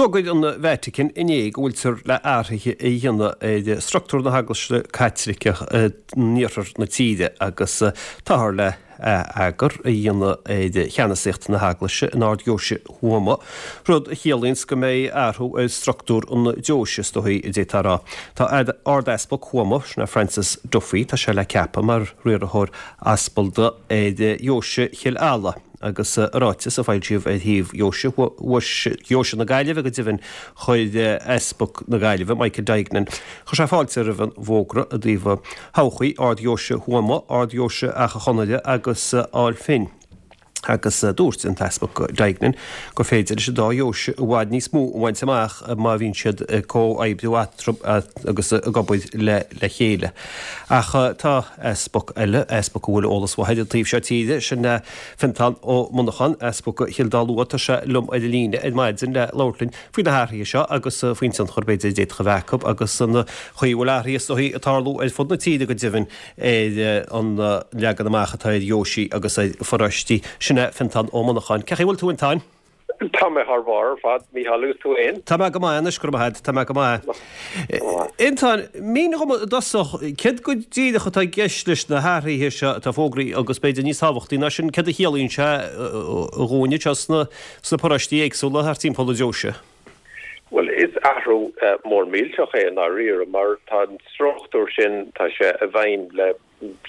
D'fhógair an Vatican inné go bhfuiltear le athruithe a dhéanamh ar struchtúr na hEaglaise Caitliceach in iarthar na tíre agus táthar le ath-eagar a dhéanamh ar cheannasaíocht na hEaglaise in Ard-Dheoise Thuama, rud a chiallaíonns go mbeidh athrú ar struchtúr an deoise, is dóigh a d'fhéadfá a rá. Tá Ard-Easpag Thuama, sin é Francis Duffy, tá sé le ceapadh mar riarthóir aspalda ar Dheoise Chill Ala. Agus i ráiteas a foilsíodh ar shuíomh Dheoise Dheoise na Gaillimhe go deimhin, chuir Easpag na Gaillimhe, Michael Duignan, chuir sé fáilte roimh an bhfógra i dtaobh thodhchaí Ard-Dheoise Thuama, Ard-Dheoise Achadh Chonaire agus Ail Finn. Agus dúirt an tEaspag Duignan gur féidir leis an dá dheoise i bhfad níos mó a bhaint amach má bhíonn siad ag comhoibriú eatarthu agus ag obair le chéile. Ach tá easpag eile, easpag a bhfuil eolas mhaith air an taobh seo tíre, sin é Fiontán Ó Monacháin, Easpag Chill Dá Lua. Tá sé liom ar an líne ar maidin le labhairt linn faoi na hathruithe seo agus faoin tionchar b'fhéidir a d'fhéadfadh a bheith acu agus an chaoi a bhfuil athruithe is dóichí ag tarlú ar fud na tíre go deimhin ar an leagan amach atá ar dheoisí agus ar pharóistí. Sin é Fiontán Ó Monacháin. Cén chaoi a bhfuil tú, a Fhiontáin? Tá mé thar barr ar fad, Mícheál, agus tú fhéin? Tá mé go maith anois, go raibh maith agat, tá mé go maith. A Fhiontáin, mínigh dhom i dtosach, céard go díreach atá i gceist leis na hathruithe seo atá fógraithe agus b'fhéidir níos tábhachtaí ná sin, céard a chiallaíonn sé dhúinne anseo sna paróistí éagsúla thart timpeall an deoise? Bhuel, is athrú mór millteach é i ndáiríre mar tá an struchtúr sin, tá sé i bhfeidhm le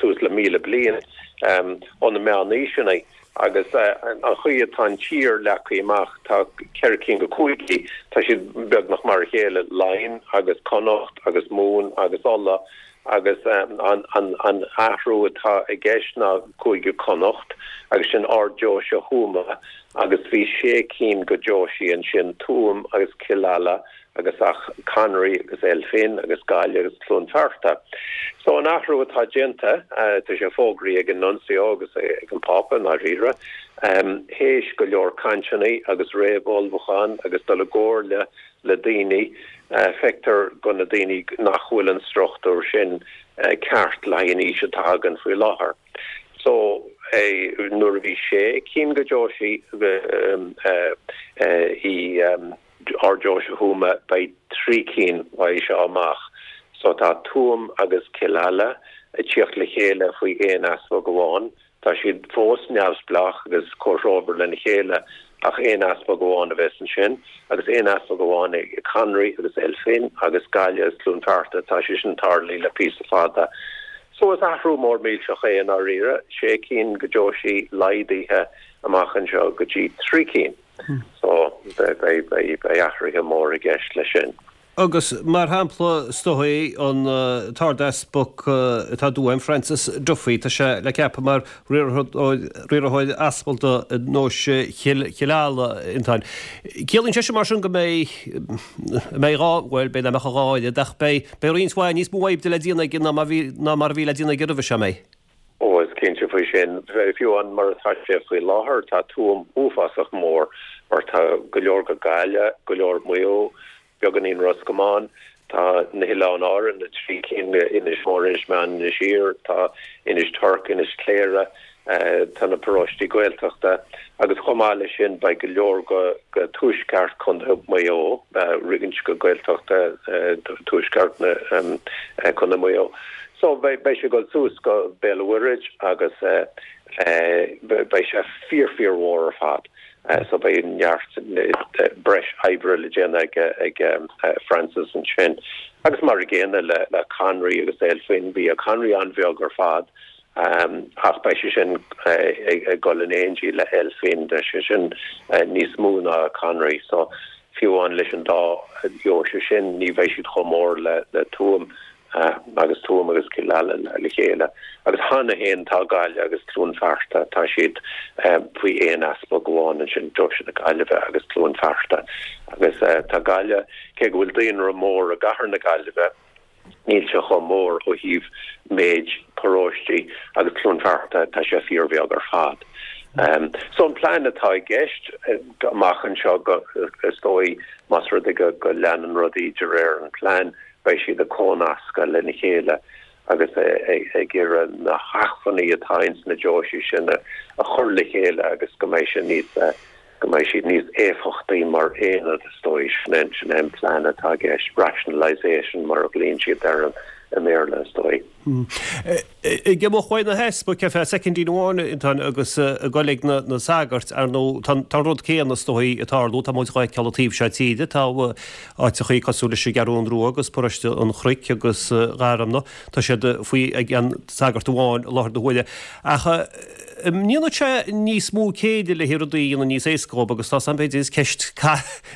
suas le 1,000 bliain ó na meánaoiseanna agus an chaoi atá an tír leagtha amach, tá ceithre cinn de chúigí, tá siad beagnach mar a chéile, Laighin agus Connacht agus Mumhan agus Uladh agus an athrú atá i gceist ná Cúige Connacht agus sin Ard-Deoise Thuama agus bhí sé cinn de dheoisí ansin, Tuaim agus Cill Ala agus Achadh Conraoi agus Elphin agus Gaillimh agus Cluain Fearta. So an athrú atá déanta, tá sé fógraithe ag an Nuncio agus ag an Phápa i ndáiríre, théis go leor cainteanna agus réamh-ullmhúchán agus dul i gcomhairle le daoine, feictear go na daoine nach bhfuil an struchtúr sin ceart le haghaidh an aois atá againn faoi láthair. So nuair a bhí sé cinn de dheoisí i Ard-Deoise Thuama, beidh 3 cinn uaidh seo amach. So tá Tuaim agus Cill Ala ag tíocht le chéile faoi aon easpag amháin. Tá siad fós neamhspleách agus comhthreomhar lena chéile ach aon easpag amháin a bheas ansin agus aon easpag amháin ag Conraoi agus Elphin agus Gaillimh agus Cluain Fearta. Tá sé sin tarlaithe le píosa fada. So is athrú mór millteach é i ndáiríre, sé cinn de dheoisí laghdaithe amach anseo go dtí 3 cinn. So, beidh athruithe móra i gceist leis sin. Agus, mar shampla, is dóigh, an tArd-Easpag atá i dTuaim, Francis Duffy, tá sé le ceapadh mar riarthóir aspalda i nDeoise Chill Ala, a Fhiontáin. Ciallaíonn sé sin mar sin go mbeidh, mbeidh dhá, bhuel, b'fhéidir nach mbeadh a dhá oiread, ach beidh, beidh roinnt mhaith níos mó oibre le déanamh aige ná mar bhí, ná mar a bhí le déanamh aige roimhe seo, an mbeidh? Ó, is cinnte faoi sin. Fiú amháin mar atá sé faoi láthair, tá Tuaim uafásach mór mar tá go leor go Gaillimh, go leor Maigh Eo, beagáinín Ros Comáin, tá na hOileáin Árann, na trí cinn, Inis Mór, Inis Meáin, Inis Oírr, tá Inis Toirc, Inis Cléire, tá na paróistí Gaeltachta agus chomh maith leis sin beidh go leor go tuaisceart Chontae Mhaigh Eo, roinnt go Gaeltachta tuaisceart Chontae Mhaigh Eo. So beidh sé ag dul suas go Béal an Mhuirthead agus beidh sé fíor fíor mhór ar fad. So beidh neart breis oibre le déanamh ag Francis ansin. Agus mar a gcéanna le Conraoi agus Elphin, bhí Conraoi an-bheag ar fad ach beidh sé sin ag dul in éindí le Elphin, beidh sé sin níos mó ná Conraoi. So fiú amháin leis an dá dheoise sin ní bheidh siad chomh mór le Tuaim. agus Tuaim agus Cill Ala le chéile. Agus cheana féin tá Gaillimh agus Cluain Fearta, tá siad faoi aon easpag amháin ansin, Deoise na Gaillimhe agus Cluain Fearta. Agus tá Gaillimh, cé go bhfuil daonra mór i gcathair na Gaillimhe, níl sé chomh mór ó thaobh méid paróistí agus Cluain Fearta, tá sé fíorbheag ar fad. So an plean atá i gceist amach anseo go, is dóigh, más rud é go leanann rudaí de réir an plean, beidh siad ag cónascadh lena chéile agus ag iarraidh na hacmhainní atá ins na deoisí sin a chur le chéile agus go mbeidh sé níos. go mbeidh siad níos éifeachtaí mar aonad is dóigh. Sin é, sin é an plean atá i gceist, rationalisation mar a ghlaonn siad air i mBéarla is dóigh. Ag imeacht uaidh na heaspaig ar feadh soicindín amháin, Antoine, agus ag dul ag na sagairt, ar ndóigh, tá an rud céanna is dóigh ag tarlú, tá muid dhá fheiceáil an taobh seo tíre, tá áiteachaí cosúil leis an gCeathrún Rua agus Paróiste an Chnoic agus Garmna, tá siad faoi ag an sagart amháin i láthair na huaire. Ach an ndéanfadh sé níos mó céille le rudaí a dhéanamh níos éasca dhóibh agus tá 's a'm b'fhéidir is ceist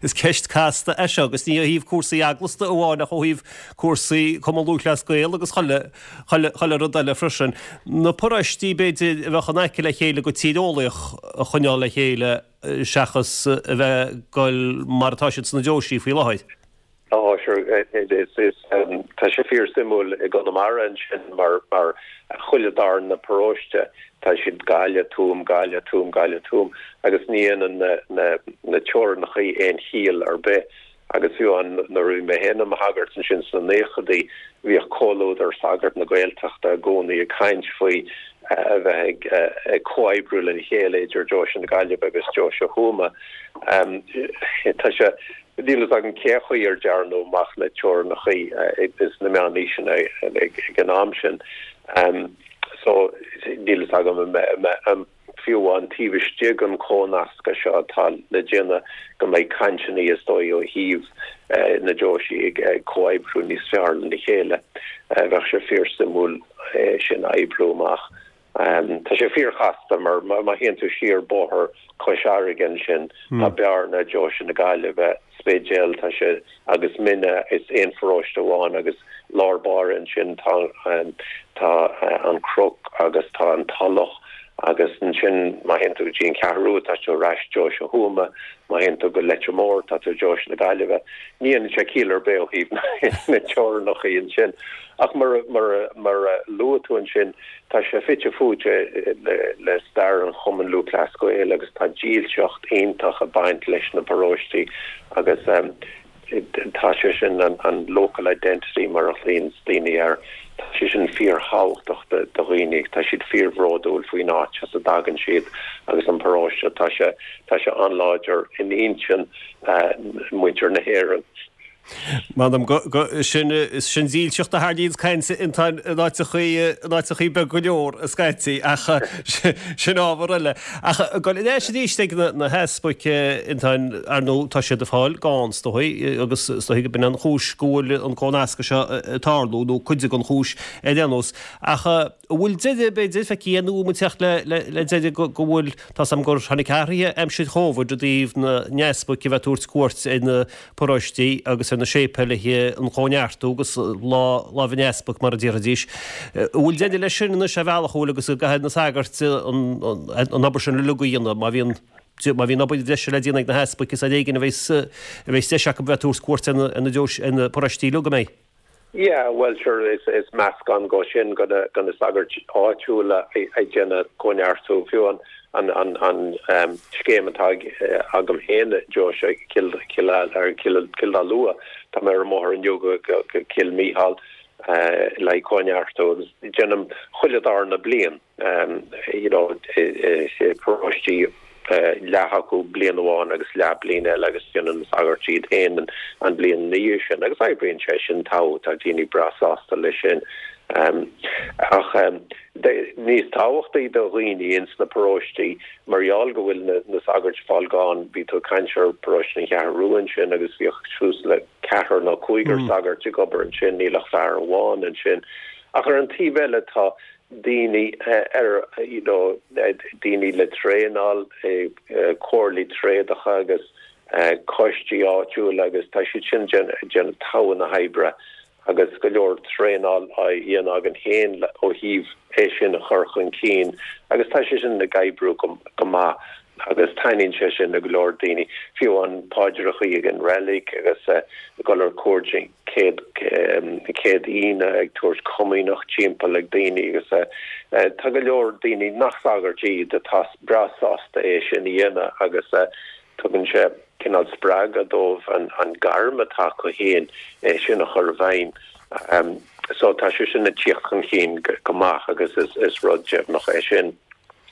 is ceist casta é seo agus ní ó thaobh cúrsaí eaglasta amháin ach ó thaobh cúrsaí Cumann Lúthchleas Gael agus chuile chuile chuile rud eile freisin. Na paróistí b'fhéidir a bheadh in aice le chéile go tíreolaíoch a choinneáil le chéile seachas a bheith ag goil mar atá siad sna deoisí faoi láthair. Ó, sure, tá sé fíor suimiúil i gConamara ansin mar mar chuile darna paróiste tá siad Gaillimh, Tuaim, Gaillimh, Tuaim, Gaillimh, Tuaim agus ní dhéanann na na na teorainneachaí aon chiall ar bith agus fiú amháin nuair a bhí mé féin i mo shagart ansin sna naochadaí bhíodh Comhluadar Sagart na Gaeltachta i gcónaí ag caint faoi a bheith ag ag comhoibriú lena chéile idir Deoise na Gaillimhe agus Deoise Thuama. Tá sé Níl fhios agam cé chaoi ar dearnadh amach na teorainneachaí sna meánaoiseanna ag an am sin. So, níl fhios agam an fiú amháin taobh istigh den chónascadh seo atá le déanamh go mbeidh cainteanna is dóigh ó thaobh na deoisí ag comhoibriú níos fearr lena chéile. Bheadh sé fíor-suimiúil é sin a oibriú amach. Tá sé fíorchasta mar má théann tú siar bóthar Chois Fharraige ansin tá Bearna, Deoise na Gaillimhe, Spidéal, tá sé agus Mine, is aon pharóiste amháin agus lár báire ansin tá tá an Chnoc agus tá an Tulach agus ansin má théann tú go dtí an Cheathrú Rua tá tú ar ais Deoise Thuama, má théann tú go Leitir Móir tá tú Deoise na Gaillimhe. Ní dhéanann sé ciall ar bith ó thaobh na teorainneacha ansin ach mar mar mar a luaigh tú ansin Tá sé fite fuaite le stair an Chumainn Lúthchleas Gael agus tá dílseacht iontach ag baint leis na paróistí agus tá sé sin, an local identity mar a ghlaonn daoine air, tá sé sin fíorthábhachtach do dhaoine, tá siad fíorbhródúil faoin áit as a dtagann siad agus an paróiste, tá sé, tá sé an-láidir in intinn muintir na hÉireann. M'anam go, go, sin, sin dílseacht a tharlaíonns caint in áiteachaí, in áiteachaí beag go leor scaití ach sin ábhar eile. Ach ag dul ar ais arís ag na, na heaspaig Antoine, ar ndóigh tá siad ag fáil gann is dóigh agus is dóigh go b'in an chúis go bhfuil an cónascadh seo ag tarlú nó cuid den chúis ar aon nós. Ach an bhfuil deireadh b'fhéidir feicthe nó an bhfuil muid ag teacht le, le, le deireadh go, go bhfuil, tá's a'm gur tháinig athruithe aimsir Chóvid i dtaobh na n-easpaig a bheith ag tabhairt cuairt ar na paróistí agus ar na séipéilithe an chóineartú agus lámh an easpaig mar a déarfaidís. An bhfuil deireadh leis sin anois ar bhealach an bhfuil agus go gcaithfidh na sagairt an obair sin uilig a dhéanamh má bhíonn má bhíonn obair bhreise le déanamh ag na heaspaig is ar éigean a bheas a bheas deis acu bheith ag tabhairt cuairt ar na deois ar na paróistí uilig an mbeidh? Yeah, bhuel sure, is is meascán go sin go na go na sagairt áitiúla ag déanamh cóineartú, fiú an an an an scéim atá ag agam féin i ndeoise Chill Chill ar Chill Chill Dá Lua, tá mé ar an mbóthar inniu go go go Cill Mícheál le haghaidh cóineartú agus déanaim chuile darna bliain. you know paróistí leath acu bliain amháin agus leath bliain eile agus déanann na sagairt iad féin an bhliain ina dhiaidh sin agus oibríonn sé sin togha, tá daoine breá sásta leis sin. Ach níos tábhachtaí do dhaoine ins na paróistí mar gheall go bhfuil na sagairt ag fáil gann, bhí tú ag caint ar paróiste an Cheathrú Rua ansin agus bhíodh suas le ceathrar nó cúigear sagairt ag obair ansin, níl ach fear amháin ansin. Ach ar an taobh eile tá daoine ar you know daoine le traenáil, comhairlí tréadacha agus coistí áitiúla agus tá siad sin ag déanamh togha na hoibre agus go leor traenáil á dhéanamh againn féin ó thaobh é sin a chur chun cinn agus tá sé sin ag oibriú go maith agus taitníonn sé sin le go leor daoine, fiú an paidreachaí ag an reilig agus ag dul ar cuairt an chéad chéad Aoine ag tabhairt comaoineach timpeall ag daoine agus tá go leor daoine nach sagairt iad atá breá sásta é sin a dhéanamh agus tugann sé cineál spreagadh dóibh an gairm atá acu féin é sin a chur i bhfeidhm. So tá sé sin ag tíocht chun cinn go maith agus is rud deimhneach é sin.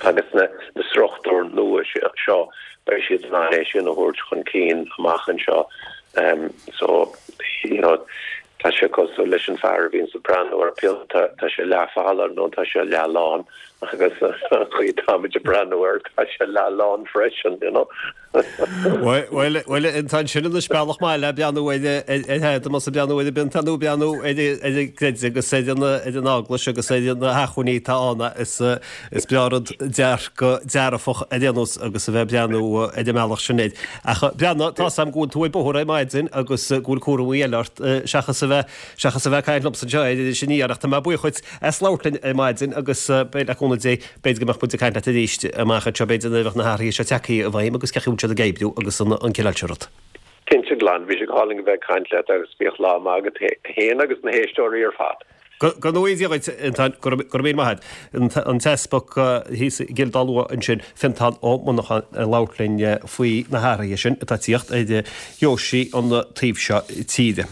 Agus na struchtúir nua seo, beidh siad in ann é sin a thabhairt chun cinn amach anseo. So, you know, tá sé cosúil leis an fear a bhíonns ag breathnú ar phionta, tá sé leathfholamh nó tá sé leathlán agus an chaoi atáimid ag breathnú air, tá sé leathlán freisin, you know. Bhuel, bhuel, tá sin anois bealach maith le breathnú ar ar más ag breathnú ar an bpionta nó breathnú ar an gcreideamh agus ar an ar an eaglais agus ar na hacmhainní atá ann is is breá rud dearcadh dearfach ar aon nós agus a bheith ag breathnú ar an mbealach sin air. Ach Breandán, tá 's a'm go bhfuil tú ar bóthar ar maidin agus go bhfuil cúramaí eile ort seachas a bheith seachas a bheith ag caint liomsa anseo ar Iris Aniar ach tá mé buíoch dhuit as labhairt linn ar maidin agus beidh le cúnamh Dé B'fhéidir go mbeadh muid ag caint leat arís amach anseo, b'fhéidir nuair a bheadh na hathruithe seo tagtha i bhfeidhm agus cén chaoi a bhfuil siad ag oibriú agus an cineál sin rud. Cinnte glan, bhí sé go hálainn a bheith ag caint leat agus bíodh lá maith agat féin agus na héisteoirí ar fad. Go ngnóthaí Dia dhuit, Fionntán, go raibh míle maith agat. An tEaspag thíos i gCill Dá Lua ansin, Fionntán Ó Monacháin ag labhairt linn faoi na hathruithe sin atá ag tíocht ar dheoisí an taobh seo tíre.